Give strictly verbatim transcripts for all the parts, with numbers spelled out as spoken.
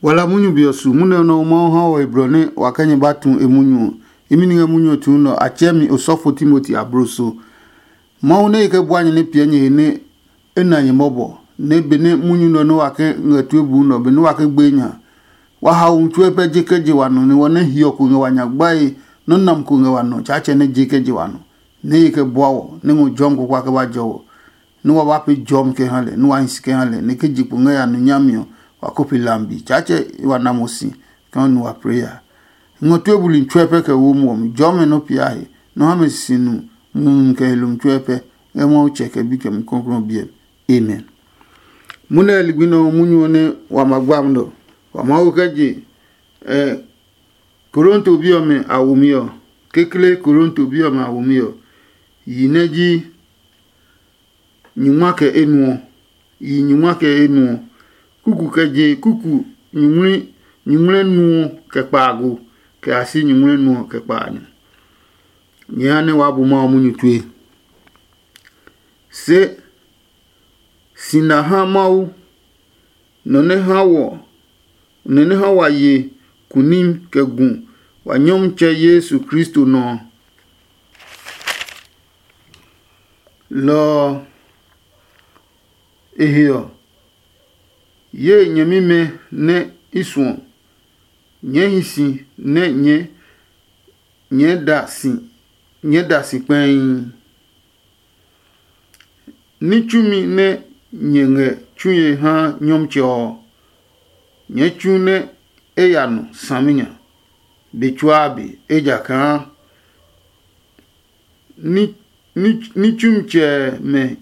Wala munyu be ɔ su munyu nɛ Mawu ha wɔ he blɔ nɛ wa kɛ nyɛ ba tu e munyu ɔ. Imi ni ngɛ munyu ɔ tuu nɛ ɔ, a tsɛɛ mi osɔfo Timoti abloso. Mawu nɛ e kɛ bua nyɛ nɛ piɛ nyɛ he nɛ e na nyɛ mɔbɔ, nɛ benɛ munyu nɛ ɔ nɛ wa kɛ ngɛ tue buu nɛ ɔ, benɛ wa kɛ gbe nya. Wa hao hu tsuɛ pɛ je kɛ je wa nɔ, nɛ wɔ nɛ hiɔ ko ngɛ wa nya gbae, nɔ́ nam ko ngɛ wa nɔ, Tsaatsɛ nɛ je kɛ je wa nɔ, nɛ e kɛ bua wɔ, nɛ ngɔ jɔmi kpakpa kɛ ba jɔ wɔ. Nɛ wa ba pee jɔmi kɛ ha lɛ, nɛ wa hi si kɛ ha lɛ, nɛ ke je kpo ngɛ ya nu nyami ɔ, wa ko pe lambi. Tsaatsɛ wa na mo si kaa nu wa pee ya. Ngɔ tue buli tsuɛ pɛ kɛ wo muɔ mi. Jɔmi nɔ pia he, nɔ ha mɛ sisi nu mumi kɛ he lomi tsuɛ pɛ, ngɛ Mawu Tsɛ kɛ Bi kɛ Mumi Klɔuklɔu ɔ biɛ mi. Amen. Munɛ ligbi nɛ ɔ munyu ɔ nɛ wa ma gba nɔ. Wa Mawu kɛ je ɛ Korinto bi ɔmɛ a womi ɔ, kekle Korinto bi ɔmɛ a womi ɔ, yi nɛ ji nyingma kɛ enuɔ, yi nyingma kɛ enuɔ, kuku kɛ je kuku nyingmli nyingmlɛ nuɔ kɛ kpaago, kɛ a si nyingmlɛ nuɔ kɛ kpaanyɔ. Nyɛ ha nɛ waa bu Mawu munyu tue. Se si na ha Mawu, nɔ nɛ ha wɔ nɔ nɛ ha wa ye kunim kɛ gu wa Nyɔmtsɛ Yesu Kristo nɔ ɔ. Lɔ ɔ, e he ɔ, ye nyɛmimɛ nɛ i suɔ, nyɛɛ hi si nɛ nyɛɛ nyɛɛ da si nyɛɛ da si kpɛii. Ní tsumi nɛ nyɛ ngɛ tsue ha Nyɔmtsɛ ɔ, nyɛɛ tsu nɛ e ya nɔ saminya be tsuaa be, ejakaa ní ní ní tsumtsɛmɛ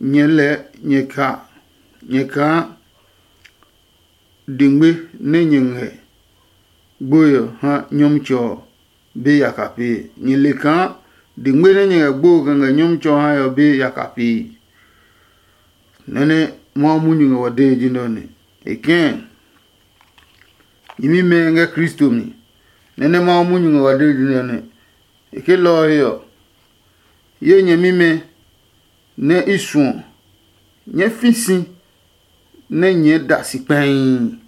nyɛ lɛ nyɛ ka nyɛ kaa dengbe nɛ nyɛ ngɛ gboe ɔ ha Nyɔmtsɛ ɔ be yaka pee. Nyɛ le kaa dengbe nɛ nyɛ ngɛ gbo kɛ ngɛ Nyɔmtsɛ ɔ hae ɔ be yaka pee. Nɔ́ nɛ Mawu munyu ngɛ wa dee ji nɛ ɔ nɛ. E kɛ̃ nyɛmimɛ ngɛ Kristo mi. Nɔ́ nɛ Mawu munyu ngɛ wa dee ji nɛ ɔ nɛ. E ke lɔ ɔ he ɔ, ye nyɛmimɛ nɛ i suɔ, nyɛɛ fi si nɛ nyɛɛ da si kpɛii.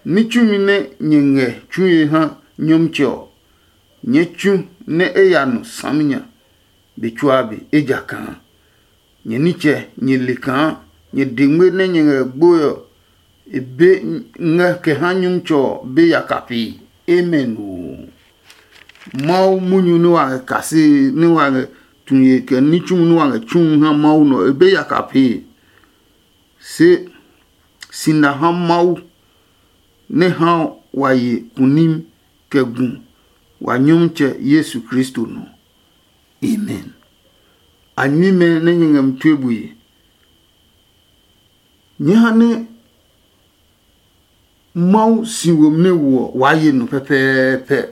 Ní tsumi nɛ nyɛ ngɛ tsue ha Nyɔmtsɛ ɔ, nyɛɛ tsu nɛ e ya nɔ saminya be tsuaa be, ejakaa nyɛ nitsɛ nyɛ le kaa nyɛ dengme nɛ nyɛ ngɛ gboe ɔ, e be ngɛ kɛ ha Nyɔmtsɛ ɔ be yaka pee. Amen oo. Mawu munyu nɛ wa ngɛ kase nɛ wa ngɛ tuye kɛ ní tsumu nɛ wa ngɛ tsu ha Mawu nɔ, e be yaka pee. Se si na ha Mawu nɛ ha wa ye kunim kɛ gu wa Nyɔmtsɛ Yesu Kristo nɔ. Amen. A nyɛmimɛ nɛ nyɛ ngɛ mi tue bue. Nyɛɛ ha nɛ Mawu si womi nɛ woɔ waa ye nɔ pɛpɛɛpɛ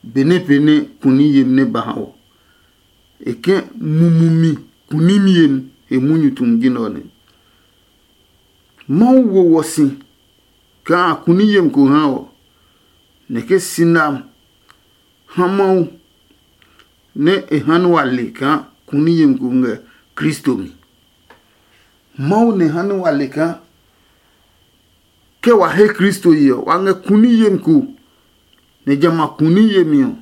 benɛ pee nɛ kuni yemi nɛ ba ha wɔ. E kɛ mumumi kunimi yemi he munyu tumi ji nɛ ɔ nɛ. Mawu wo wɔ si kaa kuni yemi ko ha wɔ, nɛ ke si nam ha Mawu nɛ e ha nɛ wa le kaa kuni yemi ko ngɛ Kristo mi. Mawu nɛ ha nɛ wa le kaa ke wa he Kristo ye ɔ, wa ngɛ kuni yemi ko, nɛ jamɛ a kuni yemi ɔ,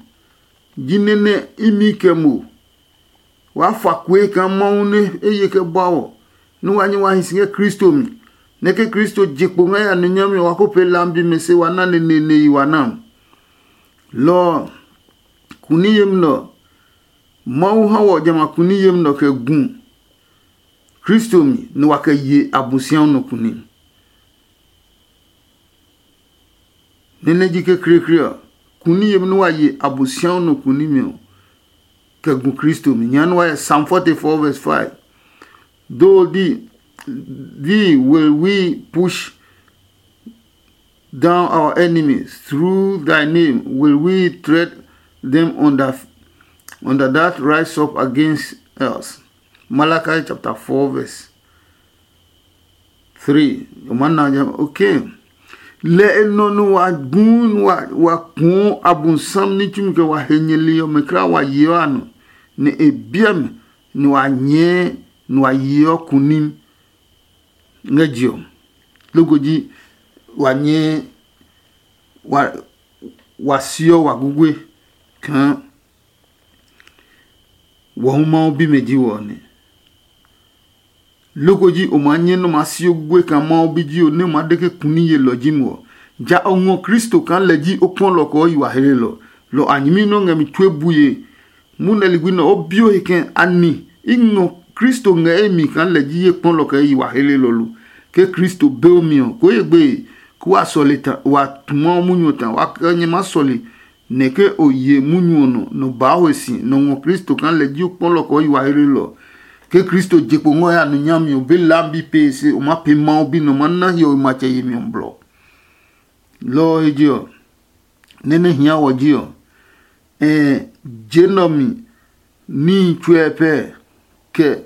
jinɛ nɛ imi kɛ mo. Waa fa kue kaa Mawu nɛ e ye kɛ bua wɔ, nɛ wa nyɛ wa hi si ngɛ Kristo mi, nɛ ke Kristo je kpo ngɛ ya nɛ nyami ɔ, wa ko pee lambi mɛ se wa na neneene yi wa na. Lɔ ɔ, kuni yemi nɛ ɔ, Mawu ha wɔ jamɛ a kuni yemi nɛ ɔ kɛ gu Kristo mi, nɛ wa kɛ ye Abosiamu nɔ kuni. Nɛ nɛ ji kekleekle ɔ, kuni yemi nɛ wa ye Abosiamu nɔ kuni mi ɔ, kɛ gu Kristo mi. Nya nɛ wa yɛ Psalm forty-four verse five. Though thee, thee will we push down our enemies, through thy name will we tread them under, under that rise up against us. Malachi chapter four verse three. O ma na ja, okay. Lɛ e nɔ nɛ wa gu nɛ wa wa kuɔ Abosam ní tsumi kɛ wa he nyɛli ɔmɛ kra wa yeɔ a nɔ, nɛ e biɛ mi nɛ wa nyɛɛ nɛ wa yeɔ kunim ngɛ je ɔ. Loko ji wa nyɛɛ wa wa siɔ wa gugue kaa wɔ hu Mawu bimɛ ji wɔ ɔ nɛ. Loko ji o maa nyɛ nɛ o maa si o gugue kaa Mawu bi ji o nɛ o maa de ke kuni yelɔ ji mo ɔ, ja o ngɔ Kristo kaa lɛ ji o kpɔlɔ kɛ o yi wa helelɔ. Lɔ a nyɛmi nɛ o ngɛ mi tue bue. Mu nɛ ligbi nɛ o bi o he kɛ ani i ngɔ Kristo ngɛ e mi kaa lɛ ji ye kpɔlɔ kɛ e yi wa helelɔ lo. Ke Kristo be o mi ɔ, koo ye gbeye, kó wa sɔle ta wa tu Mawu munyu ɔ ta wa kɛ nyɛ maa sɔle. Nɛ ke o ye munyu ɔ nɔ nɔ baa ho si nɔ ngɔ Kristo kaa lɛ ji o kpɔlɔ kɛ o yi wa helelɔ. Ke Kristo je kpo ngɔ ya nu nyami ɔ be lam bi pee se o maa pee Mawu bi nɔ ma na hiɔwe matsɛ yemi ɔ blɔ. Lɔ ɔ he je ɔ, nɛ nɛ hia wɔ ji ɔ, ɛɛ je nɔ mi níhi tsuɛ pɛ kɛ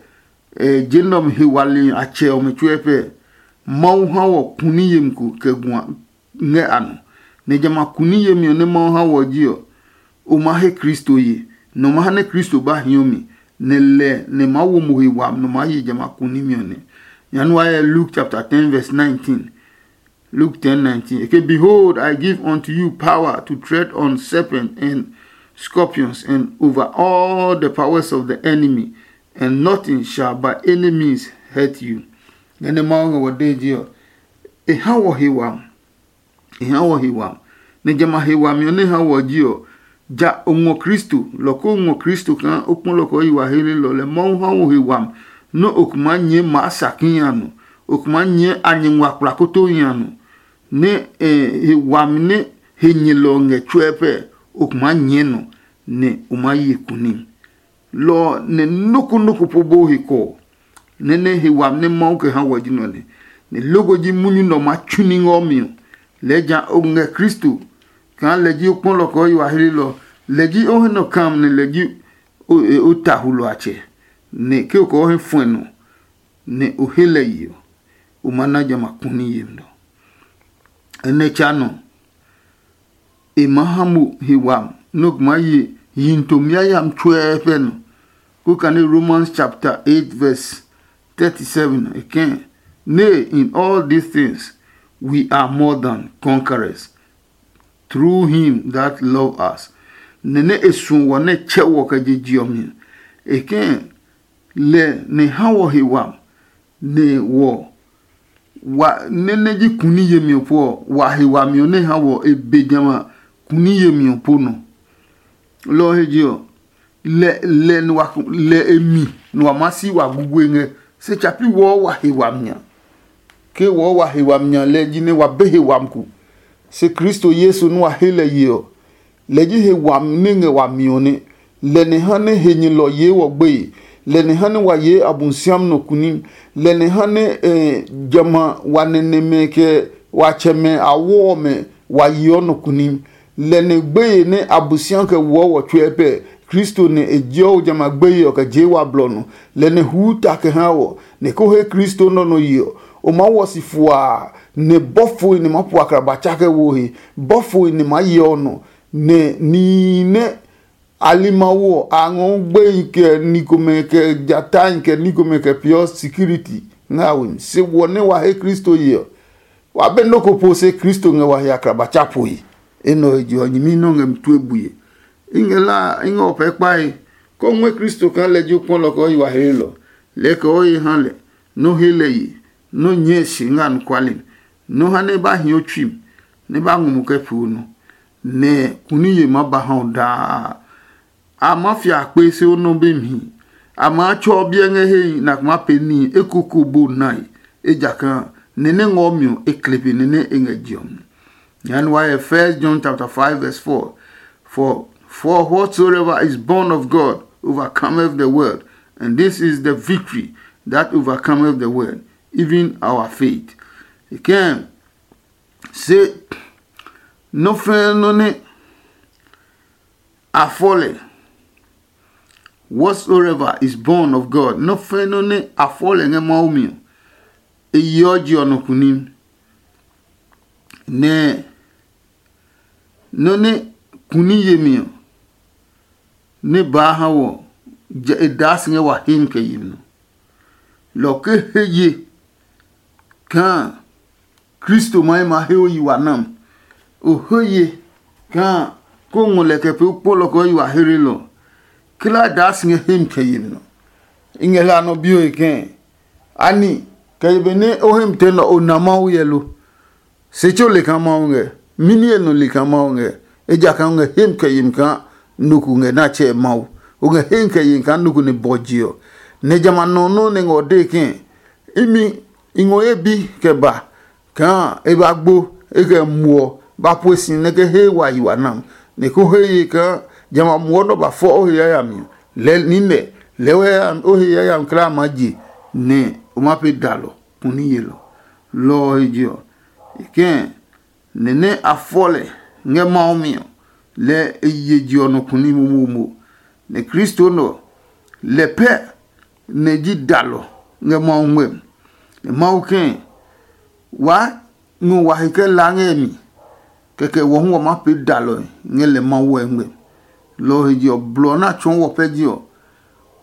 ɛɛ je nɔ mi he wali a tsɛ ɔmɛ tsuɛ pɛ. Mawu ha wɔ kuni yemi ko kɛ gua ngɛ a nɔ. Nɛ jamɛ a kuni yemi ɔ nɛ Mawu ha wɔ ji ɔ, o ma he Kristo ye, nɛ o ma ha nɛ Kristo ba hiɔ mi, nɛ lɛ nɛ maa wo mo he wami nɔ maa ye jamɛ a kunimi ɔ nɛ. Nyanu wa yɛ Luke chapter ten verse nineteen. Luke ten nineteen. Okay, behold, I give unto you power to tread on serpent and scorpions and over all the powers of the enemy, and nothing shall by any means hurt you. Nɛ nɛ Mawu ngɛ wɔ dee ji ɔ, e ha wɔ he wami. E ha wɔ he wami. Nɛ jamɛ a he wami ɔ nɛ ha wɔ ji ɔ, ja o ngɔ Kristo, lɔ ko ngɔ Kristo kaa o kpɔ lɔ kɛ o yi wa helenɔ lɛ Mawu ha wo he wami nɛ o ku maa nyɛɛ maa sa kihi a nɔ, o ku maa nyɛɛ a nyɛ ngua kplakotohi a nɔ, nɛ e he wami nɛ he nyɛlɔ ɔ ngɛ tsuɛ pɛ, o ku maa nyɛɛ nɔ, nɛ o maa ye kunim. Lɔ ɔ nɛ nɔ́ ko nɔ́ ko po bó he kɔ ɔ, nɛ nɛ he wami nɛ Mawu kɛ ha wɔ ji nɔ nɛ, nɛ loko ji munyu nɛ ɔ maa tsu ní ngɛ ɔ mi ɔ. Lɛɛ ja o ngɛ Kristo kaa lɛ ji o kpɔlɔ kɛ o yi wa hlelɔ, lɛ ji o he nɔ kam nɛ lɛ ji o ta hulɔ a tsɛ, nɛ ke o kɛ o he fuɛ nɔ nɛ o he lɛ yi ɔ, o ma na jamɛ a kuni yemi nɔ. Enɛ tsa nɔ e maa ha mo he wami nɛ o kɛ maa ye yihi tomi yayami tsuɛɛ pɛ nɔ. Ko kane Romans chapter eight verse thirty-seven e kɛ̃, "Nay, in all these things we are more than conquerors through him that love us." Nɛ nɛ e suɔ wɔ nɛ tsɛ wɔ kɛ je je ɔ mi. E kɛ̃ lɛ nɛ ha wɔ he wami nɛ wɔ wa nɛ nɛ ji kuni yemi ɔ po ɔ, wa he wami ɔ nɛ ha wɔ e be jamɛ a kuni yemi ɔ po nɔ. Lɔ ɔ he je ɔ, lɛ lɛ nɛ wa lɛ e mi nɛ wa maa si wa gugue ngɛ. Se tsa pi wɔɔ wa he wami nya. Ke wɔɔ wa he wami nya lɛ ji nɛ wa be he wami ku. Se Kristo Yesu nɛ wa he lɛ ye ɔ, lɛ ji he wami nɛ ngɛ wami ɔ nɛ. Lɛ nɛ ha nɛ henyɛlɔ yee wɔ gbeye. Lɛ nɛ ha nɛ wa yee Abosiam nɔ kunim. Lɛ nɛ ha nɛ eh, jamɛ a wa nɛnɛmɛ kɛ wa tsɛmɛ a wɔɔ mɛ wa yeɔ nɔ kunim. Lɛ nɛ gbeye nɛ Abosiam kɛ woɔ wɔ tsuɛ pɛ, Kristo nɛ e jeɔ o jamɛ a gbeye ɔ kɛ jee wa blɔ nɔ. Lɛ nɛ huu ta kɛ ha wɔ, nɛ ko he Kristo nɔ nɔ ye ɔ, o maa wɔ si fuaa, nɛ bɔfohi nɛ maa pu akraba tsa kɛ wo he, bɔfohi nɛ maa yeɔ nɔ, nɛ nihi nɛ a li Mawu ɔ, a ngɔɔ gbehi kɛ ni komɛ kɛ jatahi kɛ ni komɛ kɛ peeɔ sikiriti ngɛ a we mi. Se wɔ nɛ wa he Kristo ye ɔ, wa be nɔ́ ko po se Kristo ngɛ wa he akraba tsa poe. Enɛ ɔ he je ɔ, nyɛmi nɛ ɔ ngɛ mi tue bue. I ngɛ la a, i ngɛ o pɛɛ kpae, kɛ o ngɔɛ Kristo kaa lɛ ji o kpɔlɔ kɛ o yi wa heelɔ. Lɛɛ kɛ o he ha lɛ, nɛ o he lɛ ye, nɛ o nyɛɛ si ngɛ anɔkuale mi, nɛ o ha nɛ e ba hi o tsui mi, nɛ e ba ngɔ mo kɛ pee o nɔ, nɛ kuni ye maa ba ha o daa. A maa fia kpe se o nɔ be mi. A maa tsɔ biɛ ngɛ hehi nɛ a maa pee níhi eko ko bo nae, ejakaa nɛ nɛ ngɔ mi ɔ, e kle pe nɛ nɛ e ngɛ je ɔ mi. Nyɛɛ wa hyɛ First John chapter five verse four. For for whatsoever is born of God overcometh the world, and this is the victory that overcometh the world, even our faith. E kɛɛ se nɔ́ fɛ́ɛ́ nɔ́ nɛ a fɔ lɛ, whatsoever is born of God, nɔ́ fɛ́ɛ́ nɔ́ nɛ a fɔ lɛ ngɛ Mawu mi ɔ, e yeɔ je ɔ nɔ kunim. Nɛ nɔ́ nɛ kuni yemi ɔ, nɛ baa ha wɔ, jɛ e daa si ngɛ wa hemi kɛ yemi nɔ. Lɔ ke he ye kaa Kristo ma he ma he o yi wa nam. O he ye kaa ko ngɔ lɛ kɛ pee o kpɔlɔ kɛ o yi wa heelɔ. Klaa daa si ngɛ hem kɛ yemi nɔ. I ngɛ hla nɔ bio e kɛɛ, ani kɛ ye benɛ o hem tɛ nɔ o na Mawu yɛ lo? Se tso le kaa Mawu ngɛ, mini e nɔ le kaa Mawu ngɛ, ejakaa o ngɛ hem kɛ yemi kaa nɔ ko ngɛ nɛ a tsɛɛ Mawu. O ngɛ hem kɛ yemi kaa nɔ ko nɛ bɔ je ɔ. Nɛ jamɛ a nɔ nɔ́ nɛ ngɛ o dee kɛɛ, imi i ngɔ ye bi kɛ ba kaa e ba gbo e kɛ muɔ ba pue si nɛ ke he wa yi wa nam, nɛ ko he ye kaa jamɛ a muɔ nɔ ba fɔ o he yayami ɔ. Lɛɛ nine lɛɛ o he yayami kla ma je nɛ o ma pe dalɔ kuni yelɔ. Lɔ ɔ he je ɔ, e kɛɛ nɛ nɛ a fɔ lɛ ngɛ Mawu mi ɔ, lɛ e ye je ɔ nɔ kuni momomo. Nɛ Kristo nɔ lɛ pɛ nɛ ji dalɔ ngɛ Mawu ngmɛmi. Nɛ Mawu kɛɛ, waa ngɔ wa he kɛ la ngɛ mi, kɛkɛ wɔ hu wa ma pee dalɔe ngɛ lɛ Mawu ɛ ngmɛmi. Lɔ ɔ he je ɔ, blɔ ɔ nɛ a tsɔɔ wɔ pɛ ji ɔ,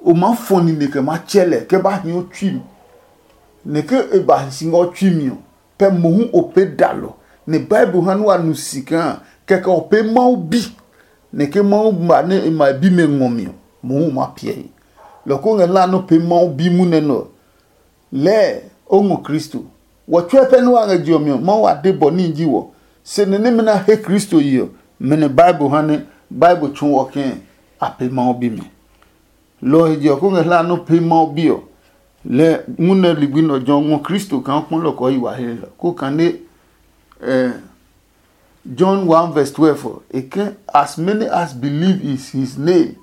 o maa fɔ nine kɛ maa tsɛ lɛ kɛ ba hii o tsui mi. Nɛ ke e ba hi si ngɛ o tsui mi ɔ, pɛ mohu o pee dalɔ. Nɛ Bible ha nɛ wa nu si kaa kɛkɛ o pee Mawu bi. Nɛ ke Mawu ma nɛ e ma e bimɛ ngɔ mi ɔ, mohu ma piɛ he. Lɔ ko ngɛ hlaa nɛ o pee Mawu bi munɛ nɛ ɔ, lɛɛ o ngɔ Kristo. Wɔ tsuɛ pɛ nɛ wa ngɛ je ɔ mi ɔ, Mawu a de bɔ níhi ji wɔ. Se nɛ nɛmɛ nɛ a he Kristo yi ɔ, mɛ nɛ Bible ha nɛ Bible tsu wɔ kɛɛ a pee Mawu bimɛ. Lɔ ɔ he je ɔ ko ngɛ hlaa nɛ o pee Mawu bi ɔ, lɛ ngunɛ ligbi nɛ ɔ jɔ ngɔ Kristo kaa kpɔlɔ kɔɔ yi wa he lɛ ko kane. John one verse twelve ɔ, e ke, as many as believe is his name,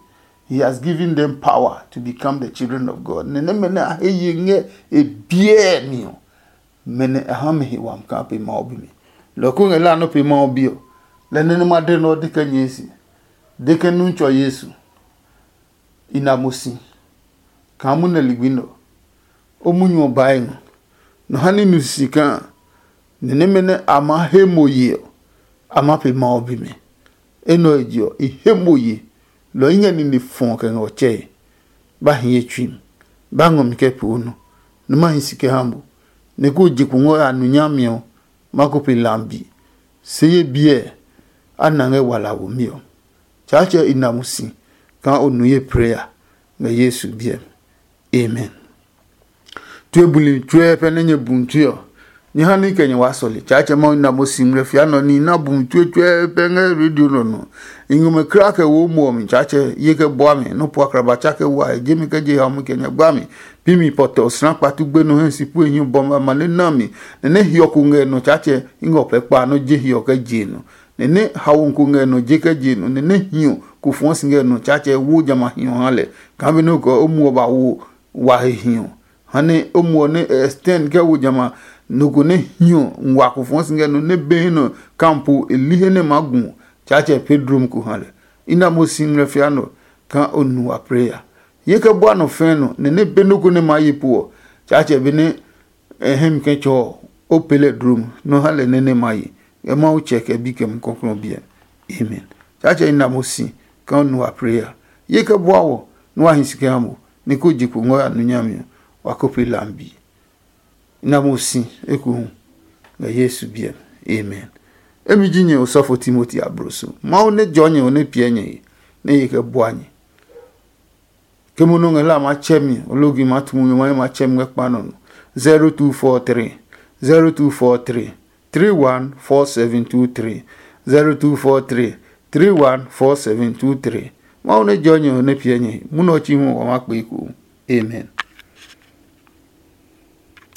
he has given them power to become the children of God. Nɛ nɛmɛ nɛ a he ye ngɛ e biɛ mi ɔ, mɛ nɛ a ha mɛ he wami kaa pe Mawu bi mi. Lɔ ko ngɛ la nɔ pe Mawu bi ɔ, lɛ nɛ nɛ ma de nɔ de kɛ nyɛɛ si, de kɛ nu tsɔ Yesu. I na mo si kaa munɛ ligbi nɛ ɔ, o munyu ɔ bae ngɔ. Nɔ ha ní nu sisi kaa nɛ nɛmɛ nɛ a maa he mo ye ɔ, a maa pe Mawu bimɛ. Enɛ ɔ he je ɔ, i he mo ye, lɔ i ngɛ nine fɔɔ kɛ ngɛ ɔ tsɛe. Ba hi ye tsui mi, ba ngɔ mi kɛ pee o nɔ, nɛ ma hi si kɛ ha mo, nɛ kó je kpo ngɔ ya nu nyami ɔ, ma ko pe lambi. Se ye biɛ a na ngɛ wala womi ɔ. Tsaatsɛ i na mo si kaa o nu ye prayer ngɛ Yesu biɛ mi. Amen. Tue buli tsuɛ pɛ nɛ nyɛ bu tue ɔ, nyɛ ha ní kɛ nyɛ waa sɔle. Tsaatsɛ Mawu na mo si ngmlɛ fia nɔ ní na bu tue tsuɛ pɛ ngɛ radio nɔ nɔ. I ngɔ mɛ kra kɛ wo mo ɔ mi. Tsaatsɛ ye kɛ bua mi nɔ pua kraba tsa kɛ wa e jemi kɛ je ha mu kɛ nyɛ gba mi. Pi mi pɔtɛ osra kpatu gbe nɔ hɛ si pue hiɔ bɔ ma ma nɛ na mi. Nɛ nɛ hiɔ ko ngɛ nɔ. Tsaatsɛ i ngɔ pɛ kpa nɔ je hiɔ kɛ je nɔ. Nɛ nɛ hawo ko ngɛ nɔ je kɛ je nɔ. Nɛ nɛ hiɔ ko fɔɔ si ngɛ nɔ. Tsaatsɛ wo jamɛ a hiɔ ha lɛ. Kaa be nɔ kɛ o muɔ ba wo wa he hiɔ. Ha nɛ o muɔ nɛ extend kɛ wo jamɛ a nɔ ko nɛ hiɔ ngua ko fɔɔ si ngɛ nɔ nɛ be he nɔ kampo e li he nɛ ma gu. Tsaatsɛ pe drom ko ha lɛ. I na mo si ngmlɛ fia nɔ kaa o nu wa prayer. Ye kɛ bua nɔ fɛɛ nɔ nɛ nɛ be nɔ ko nɛ ma ye po ɔ. Tsaatsɛ be nɛ e hɛ mi kɛ tsɔ ɔ, o pee lɛ dlom nɔ ha lɛ nɛ nɛ ma ye. Ngɛ Mawu tsɛ kɛ bi kɛ mu kɔklɔ biɛ. Amen. Tsaatsɛ i na mo si kaa o nu wa prayer. Ye kɛ bua wɔ nɛ wa hi si kɛ ha mo nɛ ko je kpo ngɔ ya nu nyami ɔ, wa ko pee lambi. I na mo si ekuhu ngɛ Yesu biɛ mi. Amen. Emi ji nyɛ osɔfo Timoti abloso. Mawu nɛ jɔ nyɛ ɔ nɛ piɛ nyɛ he nɛ ye kɛ bua nyɛ. Ke mo nɔ ngɛ hla ma tsɛ mi, o logi ma tu mo ma ma tsɛ mi ngɛ kpa nɔ no. zero two four three, zero two four three, three one four seven two three, zero two four three, three one four seven two three. Mawu nɛ jɔ nyɛ ɔ nɛ piɛ nyɛ he. Munɔ chi hu wa ma kpe iko. Amen.